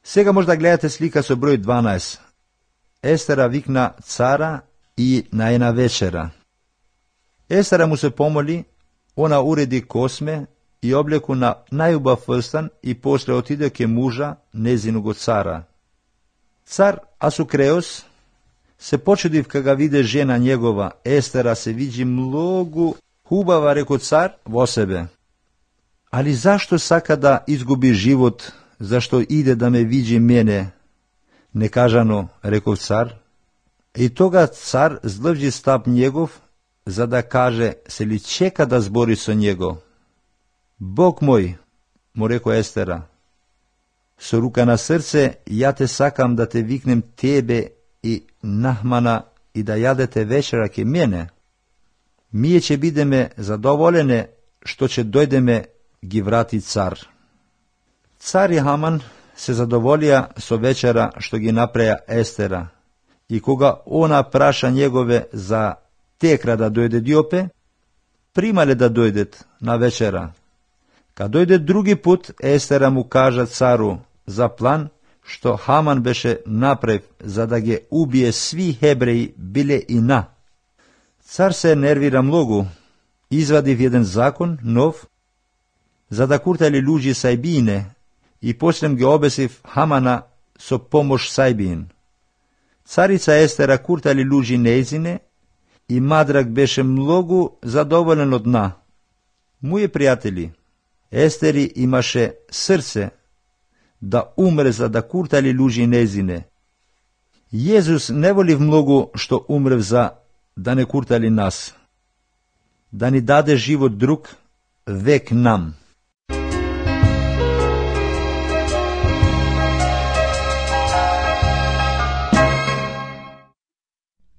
Сега може да гледате слика со број 12. Естера викна цара и на една вечера. Естера му се помоли, она уреди косме и облеку на најубав фрстан и после отиде ке мужа, незиного цара. Цар Асукреос се почудив кога виде жена njegova, Естера се види многу хубава, реко цар во себе. Али зашто сака да изгуби живот, зашто иде да ме види мене? Некажано, реков цар. И тога цар здржи стап njegov, за да каже се ли чека да збори со него. Бог мој, му реко Естера, со рука на срце, ја те сакам да те викнем тебе и Нахмана и да јадете вечера ке мене. Мие ќе бидеме задоволене што ќе дојдеме, ги врати цар. Цар и Хаман се задоволија со вечера што ги направија Естера, и кога она праша njegove за текра да дојде диопе, примале да дојдет на вечера. Кад дојде други пут, Естера му кажа цару за план што Хаман беше направив за да ги убие сви хебреи, биле и на. Цар се нервира многу, извадив еден закон, нов, за да куртали луѓи Сајбине, и после ги обесив Хамана со помош Сајбин. Царица Естера куртали луѓи нејзине, и Мадрак беше многу задоволен од на. Моје пријатели, Естери имаше срце да умре за да куртали луѓи нејзине. Језус не волив многу што умрев за да не куртали нас, да ни даде живот друг, век нам.